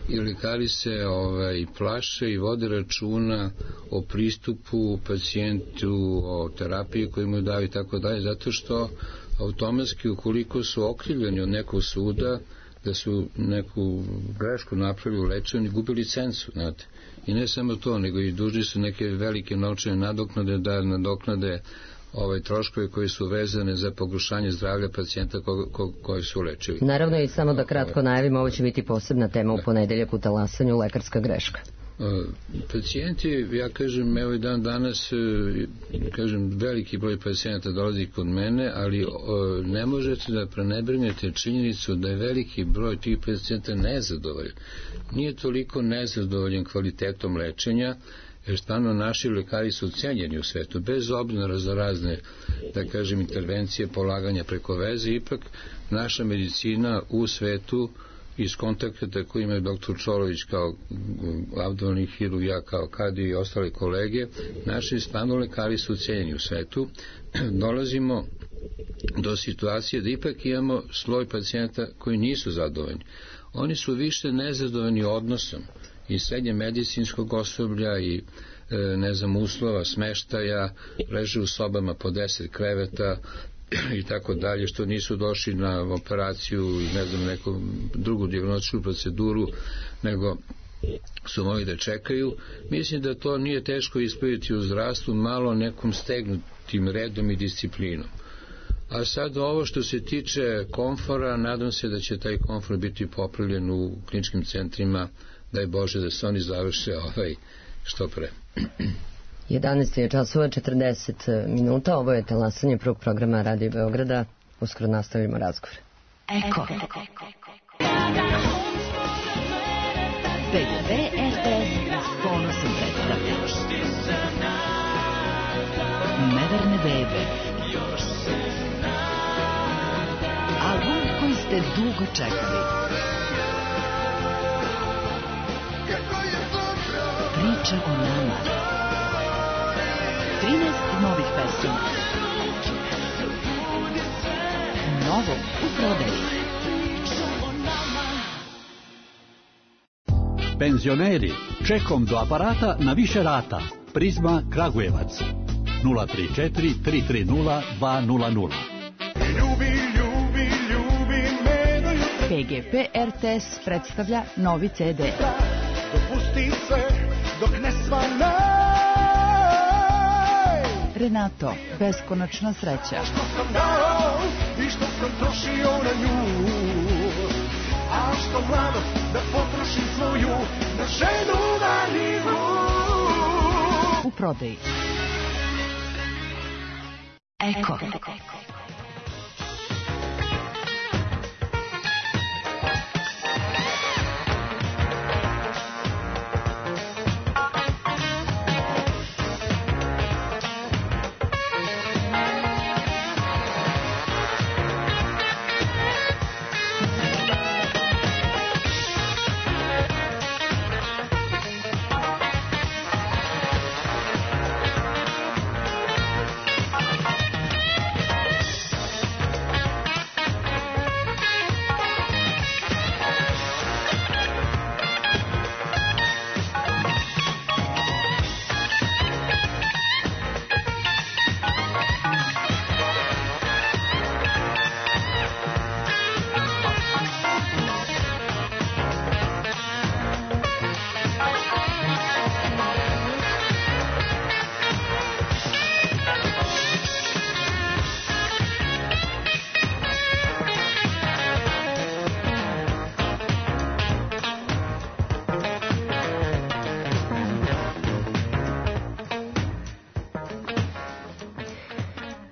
i lekari se ovaj, plaše i vode računa o pristupu pacijentu, o terapiji koju mu daju i tako dalje, zato što automatski ukoliko su okrivljeni od nekog suda, da su neku grešku napravili u lečenju i gubili licencu, znate. I ne samo to, nego i dužni su neke velike novčane nadoknade da nadoknade ovaj troškovi koji su vezane za pogoršanje zdravlja pacijenta ko, ko, koji su lečili. Naravno i samo da kratko najavimo, ovo će biti posebna tema u ponedeljak u talasanju, lekarska greška. Pacijenti, ja kažem, evo i dan danas, kažem, veliki broj pacijenata dolazi kod mene, ali ne možete da prenebregnete činjenicu da je veliki broj tih pacijenta nezadovoljan. Nije toliko nezadovoljan kvalitetom lečenja, jer stvarno naši lekari su cenjeni u svetu, bez obzira za razne, da kažem, intervencije, polaganja preko veze, ipak naša medicina u svetu iz kontakta koji imaju doktor Čolović kao abdominalni hirurg, ja kao kardio i ostale kolege, naši stvarno lekari su cenjeni u svetu. Dolazimo do situacije da ipak imamo sloj pacijenta koji nisu zadovoljni. Oni su više nezadovoljni odnosom i srednje medicinskog osoblja i ne znam, uslova, smeštaja, leže u sobama po deset kreveta i tako dalje, što nisu došli na operaciju i ne znam, neku drugu dijagnostičku proceduru, nego su mogli da čekaju. Mislim da to nije teško ispraviti u zdravstvu, malo nekom stegnutim redom i disciplinom. A sad ovo što se tiče komfora, nadam se da će taj komfor biti popravljen u kliničkim centrima, daj Bože da se oni završe ovaj što pre. jedanaest je časova četrdeset minuta, ovo je talasanje prvog programa Radio Beograda, uskoro nastavljamo razgovor. Eko. B G P R T S s ponosom predstavlja Neverne bebe. Album koji ste dugo čekali. Priča o nama. trinaest novih pesama. Novo u prodaji. Penzioneri, čekom do aparata na više rata. Prizma Kragujevac. nula tri četiri tri tri nula dva nula nula. P G P R T S predstavlja novi C D. Dopusti se dok ne svane. Renato, beskonačna sreća. Što sam dao i što sam trošio na nju, a što mladost da potrošim svoju na ženu marinu. U prodaji. Eko.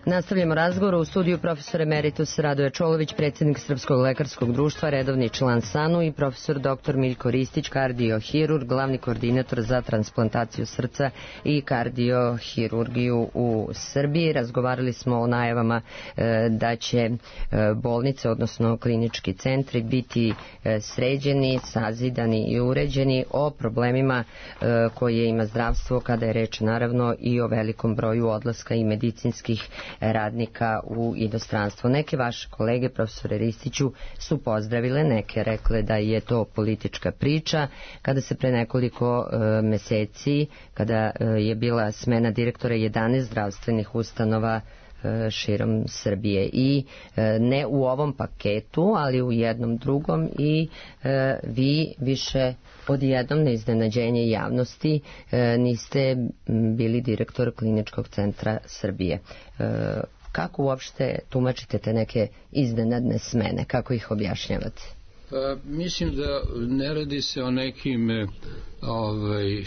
Nastavljamo razgovor u studiju profesor emeritus Radoje Čolović, predsjednik Srpskog lekarskog društva, redovni član S A N U i profesor doktor Miljko Ristić, kardiohirurg, glavni koordinator za transplantaciju srca i kardiohirurgiju u Srbiji. Razgovarali smo o najavama e, da će e, bolnice, odnosno klinički centri biti e, sređeni, sazidani i uređeni, o problemima e, koje ima zdravstvo kada je reč naravno i o velikom broju odlaska i medicinskih radnika u inostranstvo. Neke vaše kolege, profesore Ristiću, su pozdravile, neke rekle da je to politička priča. Kada se pre nekoliko e, meseci, kada e, je bila smena direktora jedanaest zdravstvenih ustanova širom Srbije i ne u ovom paketu, ali u jednom drugom i vi više odjednom na iznenađenje javnosti niste bili direktor Kliničkog centra Srbije. Kako uopšte tumačite te neke iznenadne smene? Kako ih objašnjavate? Pa, mislim da ne radi se o nekim ovaj,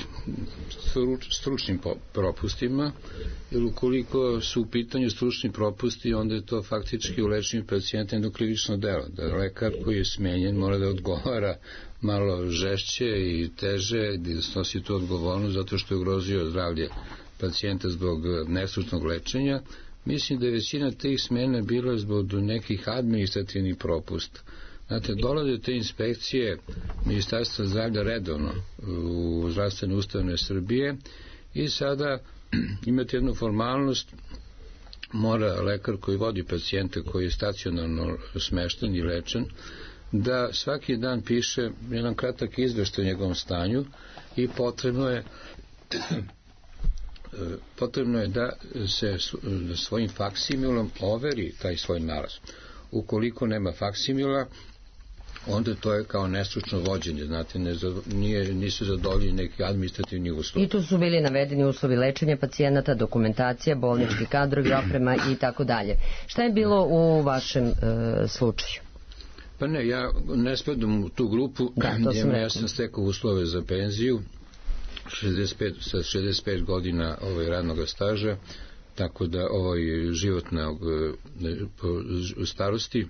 stručnim propustima, jer ukoliko su u pitanju stručni propusti, onda je to faktički u lečenju pacijenta jedno krivično delo. Da lekar koji je smenjen mora da odgovara malo žešće i teže, da snosi tu odgovornost zato što je ugrozio zdravlje pacijenta zbog nestručnog lečenja. Mislim da je većina tih smena bila zbog nekih administrativnih propusta. Znate, dolaze te inspekcije Ministarstva zdravlja redovno u zdravstvene ustanove Srbije i sada imate jednu formalnost, mora lekar koji vodi pacijente koji je stacionarno smešten i lečen, da svaki dan piše jedan kratak izveštaj o njegovom stanju i potrebno je potrebno je da se svojim faksimilom overi taj svoj nalaz. Ukoliko nema faksimila, onda to je kao nestručno vođenje, znate, ne, nije, nisu zadovoljeni neki administrativni uslovi. I tu su bili navedeni uslovi lečenja pacijenata, dokumentacija, bolnički kadrovi, oprema i tako dalje. Šta je bilo u vašem e, slučaju? Pa ne, ja ne spadam u tu grupu, da, to sam ja sam stekao uslove za penziju šezdeset pet, sa šezdeset pet godina ovaj, radnog staža, tako da ovaj, životnog starosti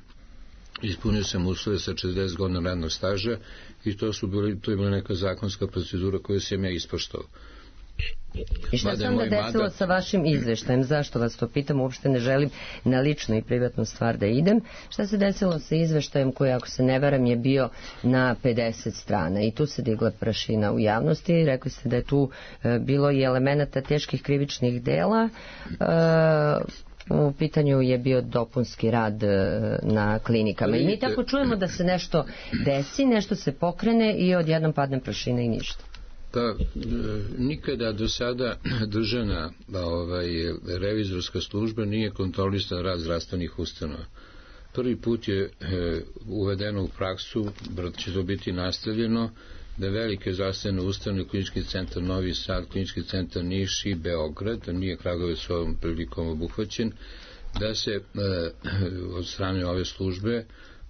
ispunio sam uslove sa četrdeset godina radnog staža i to su bili, to je bila neka zakonska procedura koju sam ja ispoštovao. I šta se onda desilo mandat... sa vašim izveštajem? Zašto vas to pitam? Uopšte ne želim na ličnu i privatnu stvar da idem. Šta se desilo sa izveštajem koji, ako se ne varam, je bio na pedeset strana i tu se digla prašina u javnosti i rekli ste da je tu e, bilo i elemenata teških krivičnih dela. E, u pitanju je bio dopunski rad na klinikama. I mi tako čujemo da se nešto desi, nešto se pokrene i odjednom padne prašina i ništa. Pa nikada do sada državna ovaj, revizorska služba nije kontrolisala rad zdravstvenih ustanova. Prvi put je e, uvedeno u praksu, će to biti nastavljeno, da velike zdravstvene ustanove, Klinički centar Novi Sad, Klinički centar Niš i Beograd, da nije Kragujevac ovom prilikom obuhvaćen, da se e, od strane ove službe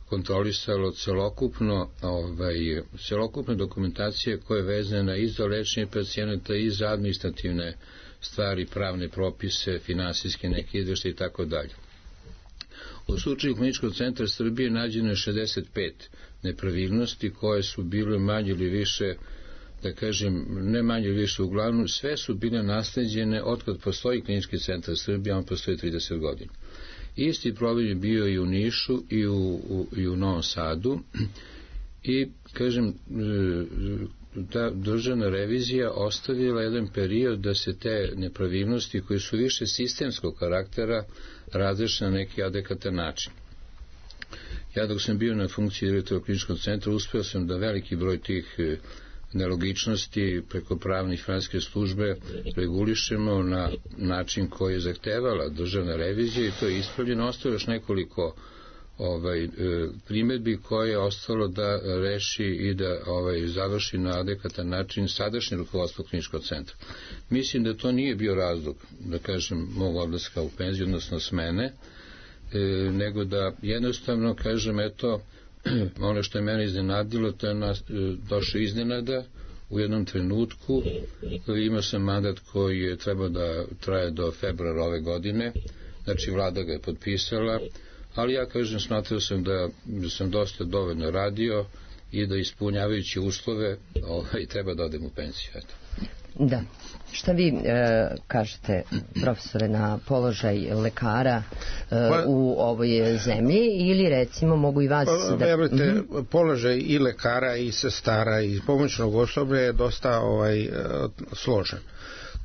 kontrolisalo celokupno ovaj, celokupne dokumentacije koje je vezana i za lečenje pacijenata i za administrativne stvari, pravne propise, finansijske neke izveštaje i tako dalje. U slučaju Kliničkog centra Srbije nađeno je šezdeset pet nepravilnosti koje su bile manje ili više, da kažem, ne manje ili više, uglavnom sve su bile nasleđene otkad postoji Klinički centar Srbije, on postoji trideset godina. Isti problem je bio i u Nišu i u, u, i u Novom Sadu i, kažem, ta državna revizija ostavila jedan period da se te nepravilnosti koje su više sistemskog karaktera razreše na neki adekvatan način. Ja dok sam bio na funkciji direktora Kliničkog centra uspeo sam da veliki broj tih nelogičnosti preko pravne i finansijske službe regulišemo na način koji je zahtevala državna revizija i to je ispravljeno. Ostalo još nekoliko ovaj, primedbi koje je ostalo da reši i da ovaj, završi na adekvatan način sadašnje rukovodstvo Kliničkog centra. Mislim da to nije bio razlog, da kažem, mog odlaska u penziju, odnosno smene, e, nego da jednostavno, kažem, eto, ono što je mene iznenadilo, to je nas, došlo iznenada u jednom trenutku. Imao sam mandat koji je trebao da traje do februara ove godine, znači vlada ga je potpisala, ali ja, kažem, smatrao sam da sam dosta dovoljno radio i da ispunjavajući uslove ovaj, treba da odem u penziju. Eto. Da. Šta vi e, kažete, profesore, na položaj lekara e, pa, u ovoj zemlji ili recimo mogu i vas pa, da... Verujte, mm-hmm. položaj i lekara i sestara i pomoćnog osoblja je dosta ovaj, složen.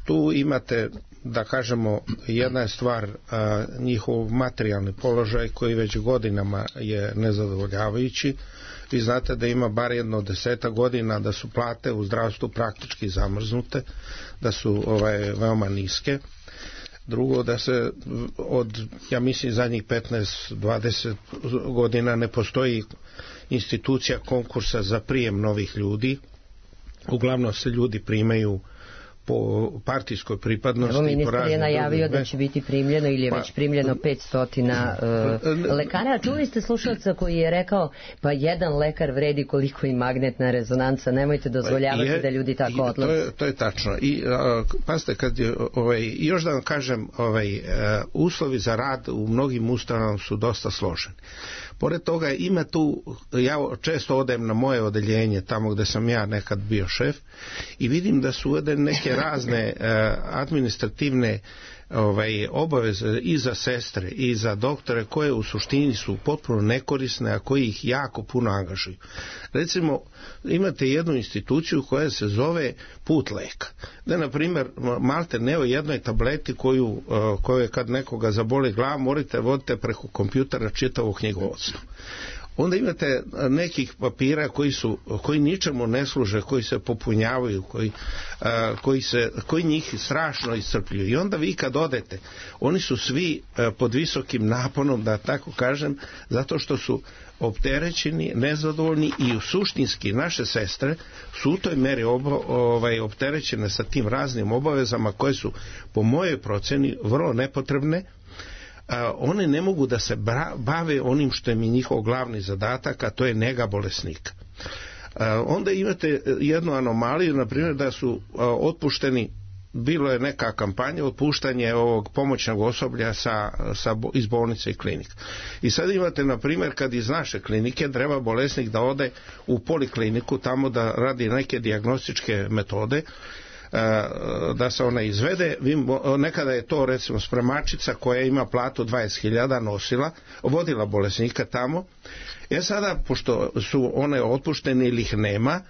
Tu imate, da kažemo, jedna je stvar a, njihov materijalni položaj koji već godinama je nezadovoljavajući. Vi znate da ima bar jedno deseta godina da su plate u zdravstvu praktički zamrznute, da su ovaj, veoma niske. Drugo, da se od, ja mislim, zadnjih petnaest dvadeset godina ne postoji institucija konkursa za prijem novih ljudi. Uglavnom se ljudi primaju po partijskoj pripadnosti. Evo, ministar je najavio da će biti primljeno ili je pa, već primljeno petsto uh, lekara. A čuli ste slušalca koji je rekao, pa jedan lekar vredi koliko i magnetna rezonanca, nemojte dozvoljavati je, da ljudi tako odlaze. To je, to je tačno. I uh, pasite, kad je, ovaj, još da vam kažem, ovaj, uh, uslovi za rad u mnogim ustanovama su dosta složeni. Pored toga ima tu, ja često odem na moje odeljenje, tamo gde sam ja nekad bio šef, i vidim da su uvedene neke razne uh, administrativne ovaj, obaveze i za sestre i za doktore koje u suštini su potpuno nekorisne, a koji ih jako puno angažuju. Recimo, imate jednu instituciju koja se zove Put leka. Da, na primjer, malte ne o jednoj tableti koju, koju kad nekoga zaboli glava, morate vodite preko kompjutera čitavo knjigovodstvo. Onda imate nekih papira koji su, koji ničemu ne služe, koji se popunjavaju, koji, a, koji, se, koji njih strašno iscrpljuju. I onda vi kad odete, oni su svi a, pod visokim naponom, da tako kažem, zato što su opterećeni, nezadovoljni i u suštinski naše sestre su u toj meri obo, ovaj, opterećene sa tim raznim obavezama koje su po mojoj proceni vrlo nepotrebne. A, one ne mogu da se bave onim što je mi njihov glavni zadatak, a to je nega bolesnika. A, onda imate jednu anomaliju, na primjer da su a, otpušteni, bilo je neka kampanja otpuštanje ovog pomoćnog osoblja sa, sa, iz bolnice i klinika. I sad imate, na primjer, kad iz naše klinike treba bolesnik da ode u polikliniku tamo da radi neke dijagnostičke metode, da se ona izvede. Nekada je to recimo spremačica koja ima platu dvadeset hiljada nosila, vodila bolesnika tamo. E sada, pošto su one otpuštene ili ih nema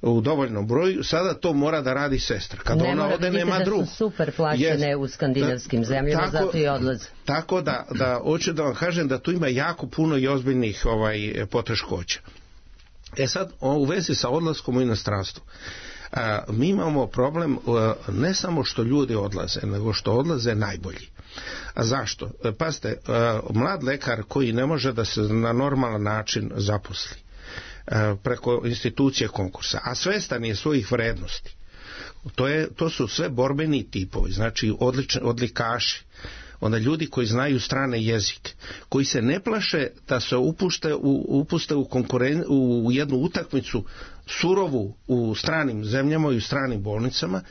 u dovoljnom broju, sada to mora da radi sestra. Kad ne ona ode, nema drug. Da su super plaćene yes. u skandinavskim zemljama, tako, zato i odlaze. Tako da, da, hoću da vam kažem da tu ima jako puno i ozbiljnih ovaj, poteškoća. E sad, u vezi sa odlaskom u inostranstvo. A, mi imamo problem a, ne samo što ljudi odlaze, nego što odlaze najbolji. A zašto? Pazite, a, mlad lekar koji ne može da se na normalan način zaposli a, preko institucije konkursa, a svestan je svojih vrednosti, to, je, to su sve borbeni tipovi, znači odlični, odlikaši, onda ljudi koji znaju strane jezike, koji se ne plaše da se upušte u, upuste u, konkuren, u jednu utakmicu surovu u stranim zemljama i u stranim bolnicama.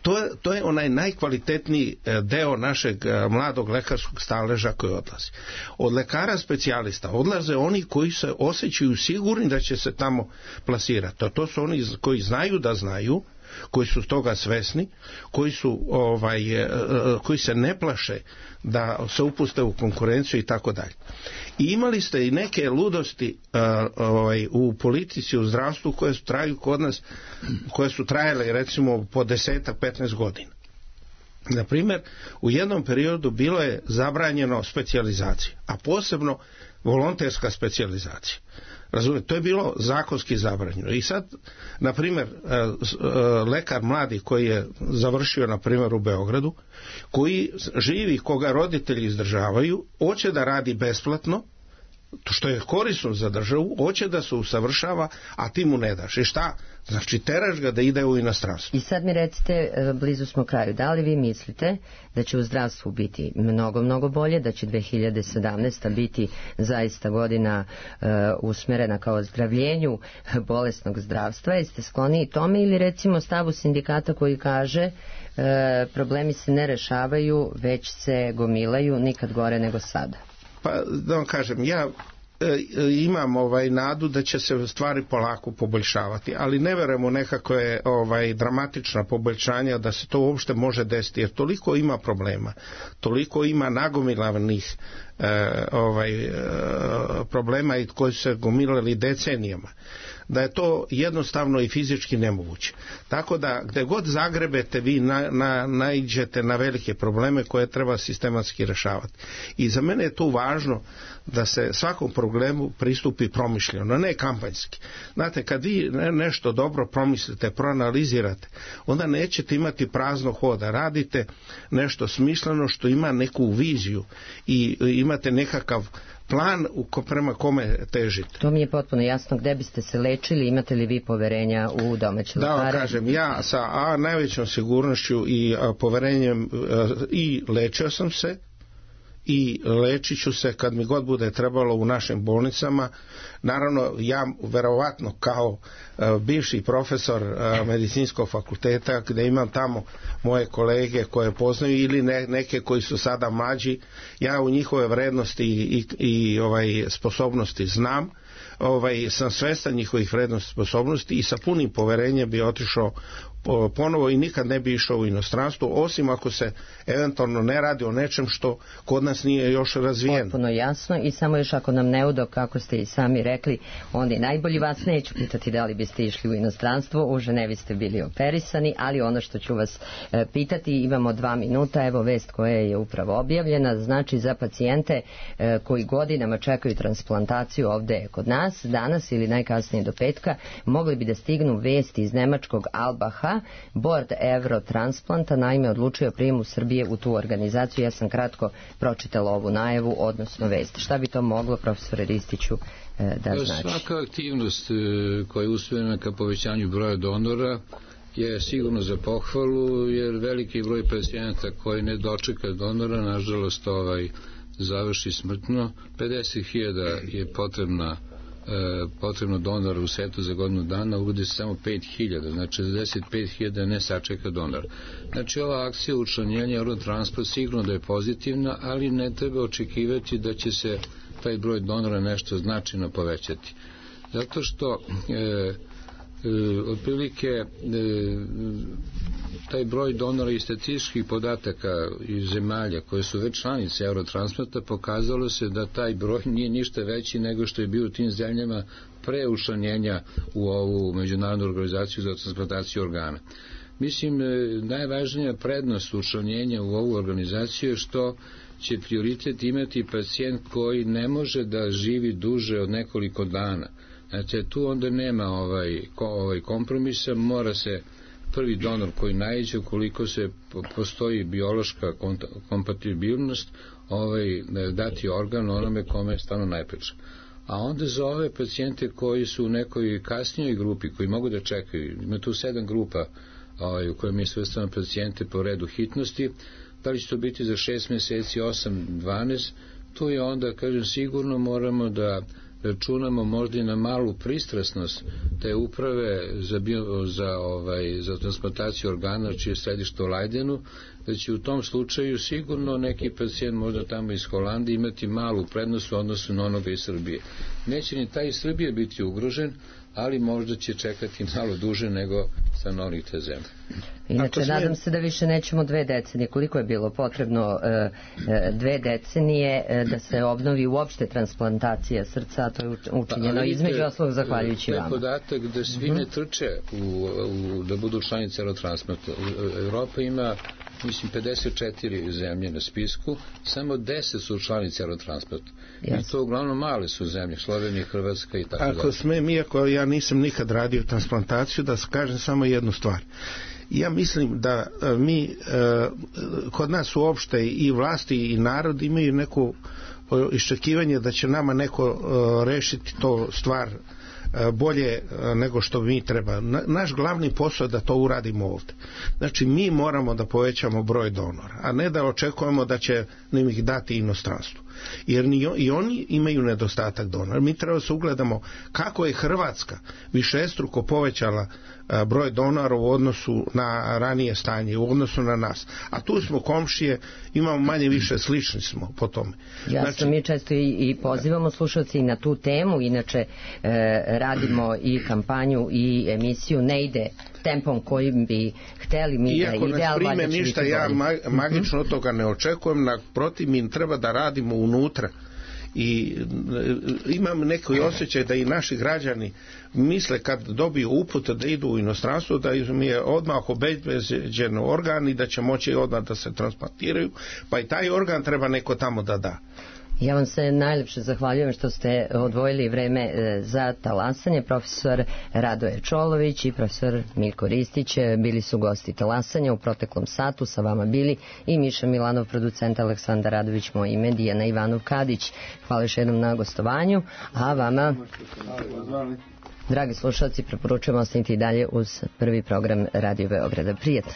To je, to je onaj najkvalitetniji deo našeg mladog lekarskog staleža koji odlazi. Od lekara specijalista odlaze oni koji se osjećaju sigurni da će se tamo plasirati. To, to su oni koji znaju da znaju, koji su toga svesni, koji su ovaj, koji se ne plaše da se upuste u konkurenciju i tako dalje. I imali ste i neke ludosti ovaj, u politici, u zdravstvu koje su traju kod nas, koje su trajale recimo po deset do petnaest godina. Na primjer, u jednom periodu bilo je zabranjeno specijalizacija, a posebno volonterska specijalizacija. Razumijete, to je bilo zakonski zabranjeno. I sad, na primjer, lekar mladi koji je završio, na primjer, u Beogradu, koji živi, koga roditelji izdržavaju, hoće da radi besplatno, što je korisno za državu, hoće da se usavršava, a ti mu ne daš. I šta? Znači, teraš ga da ide u inostranstvo. I sad mi recite, blizu smo kraju, da li vi mislite da će u zdravstvu biti mnogo, mnogo bolje, da će dve hiljade sedamnaesta biti zaista godina uh, usmerena kao ozdravljenju bolesnog zdravstva? Jeste skloni i tome ili recimo stavu sindikata koji kaže uh, problemi se ne rešavaju, već se gomilaju, nikad gore nego sada? Pa da vam kažem, ja e, imam ovaj nadu da će se stvari polako poboljšavati, ali ne verujem u nekakve ovaj dramatična poboljšanja da se to uopšte može desiti, jer toliko ima problema, toliko ima nagomilanih e, ovaj e, problema i koji su se gomilali decenijama, da je to jednostavno i fizički nemoguće. Tako da gde god zagrebete vi na, na, naiđete na velike probleme koje treba sistematski rešavati. I za mene je tu važno da se svakom problemu pristupi promišljeno, ne kampanjski. Znate, kad vi nešto dobro promislite, proanalizirate, onda nećete imati prazno hoda. Radite nešto smisleno što ima neku viziju i imate nekakav plan prema kome težite. To mi je potpuno jasno. Gde biste se lečili, imate li vi poverenja u domaće lekare? Da vam kažem, ja sa a, najvećom sigurnošću i a, poverenjem a, i lečio sam se i lečit ću se kad mi god bude trebalo u našim bolnicama. Naravno, ja verovatno kao uh, bivši profesor uh, medicinskog fakulteta, gde imam tamo moje kolege koje poznaju ili ne, neke koji su sada mlađi, ja u njihove vrednosti i, i, i ovaj, sposobnosti znam, ovaj, sam svestan njihovih vrednosti i sposobnosti i sa punim poverenjem bi otišao ponovo i nikad ne bi išao u inostranstvo, osim ako se eventualno ne radi o nečem što kod nas nije još razvijeno. Potpuno jasno i samo još ako nam ne udo, kako ste i sami rekli, onda je najbolji. Vas neću pitati da li biste išli u inostranstvo, u Ženevi ste bili operisani, ali ono što ću vas e, pitati, imamo dva minuta, evo vest koja je upravo objavljena, znači za pacijente e, koji godinama čekaju transplantaciju ovde kod nas, danas ili najkasnije do petka, mogli bi da stignu vesti iz nemačkog Albaha. Board Eurotransplanta naime odlučio prijemu Srbije u tu organizaciju. Ja sam kratko pročitala ovu najavu, odnosno vest. Šta bi to moglo, profesore Ristiću, da znači? Svaka aktivnost koja je usmjerena ka povećanju broja donora je sigurno za pohvalu, jer veliki broj pacijenata koji ne dočeka donora, nažalost, ovaj, završi smrtno. pedeset hiljada je potrebna potrebno donora u svetu za godinu dana, uvodi se samo pet hiljada, znači šezdeset pet hiljada ne sačeka donor. Znači ova akcija učlanjenja Eurotransplant sigurno da je pozitivna, ali ne treba očekivati da će se taj broj donora nešto značajno povećati. Zato što e, E, otprilike e, taj broj donora i statističkih podataka iz zemalja koje su već članice Eurotransplanta pokazalo se da taj broj nije ništa veći nego što je bio u tim zemljama pre učlanjenja u ovu međunarodnu organizaciju za transplantaciju organa. Mislim, najvažnija prednost učlanjenja u ovu organizaciju je što će prioritet imati pacijent koji ne može da živi duže od nekoliko dana. Znači, tu onda nema ovaj, ovaj kompromisa, mora se prvi donor koji naiđe, ukoliko se postoji biološka kompatibilnost, ovaj, dati organ onome kome je stvarno najpreče. A onda za ove pacijente koji su u nekoj kasnijoj grupi, koji mogu da čekaju, ima tu sedam grupa ovaj, u kojoj mi svrstavamo pacijente po redu hitnosti, da li će to biti za šest meseci, osam, dvanaest, tu je onda, kažem, sigurno moramo da računamo možda i na malu pristrasnost te uprave za, bio, za, ovaj, za transplantaciju organa, čije je središte u Leidenu, da će u tom slučaju sigurno neki pacijent možda tamo iz Holandije imati malu prednost u odnosu na onoga iz Srbije. Neće ni taj iz Srbije biti ugrožen, ali možda će čekati malo duže nego stanovnik te zemlje. Inače, nadam se da više nećemo dve decenije. Koliko je bilo potrebno e, dve decenije e, da se obnovi uopšte transplantacija srca, a to je učinjeno pa, između oslog zahvaljujući vama. Podatak da svi ne trče u, u, da budu članice Eurotransplanta. Evropa ima, mislim, pedeset četiri zemlje na spisku, samo deset su članice Eurotransplanta. Yes. I to uglavnom male su zemlje, Slovenija, Hrvatska i tako dalje. Ako smem, iako ja nisam nikad radio transplantaciju, da kažem samo jednu stvar. Ja mislim da mi, kod nas uopšte i vlasti i narod imaju neko iščekivanje da će nama neko rešiti to stvar bolje nego što mi treba. Naš glavni posao je da to uradimo ovde. Znači, mi moramo da povećamo broj donora, a ne da očekujemo da će nam ih dati inostranstvu. Jer ni, i oni imaju nedostatak donora. Mi treba se ugledamo kako je Hrvatska višestruko povećala a, broj donora u odnosu na ranije stanje, u odnosu na nas. A tu smo komšije, imamo manje više slični smo po tome. Jasno, znači, mi često i, i pozivamo slušalci i na tu temu, inače e, radimo i kampanju i emisiju, ne ide tempom kojim bi hteli mi iako da ide, ali valjda će ništa, ja ma, magično od toga ne očekujem, naprotiv, mi treba da radimo unutra i imam neki osjećaj da i naši građani misle kad dobiju uput da idu u inostranstvo da im je odmah obezbeđen organ i da će moći odmah da se transplantiraju, pa i taj organ treba neko tamo da da. Ja vam se najljepše zahvaljujem što ste odvojili vreme za talasanje. Profesor Radoje Čolović i profesor Miljko Ristić bili su gosti talasanja u proteklom satu. Sa vama bili i Miša Milanov, producent, Aleksandar Radović, moje ime, Dijana Ivanov Kadić. Hvala još jednom na gostovanju, a vama, dragi slušalci, preporučujemo ostaniti i dalje uz prvi program Radio Beograda. Prijatno.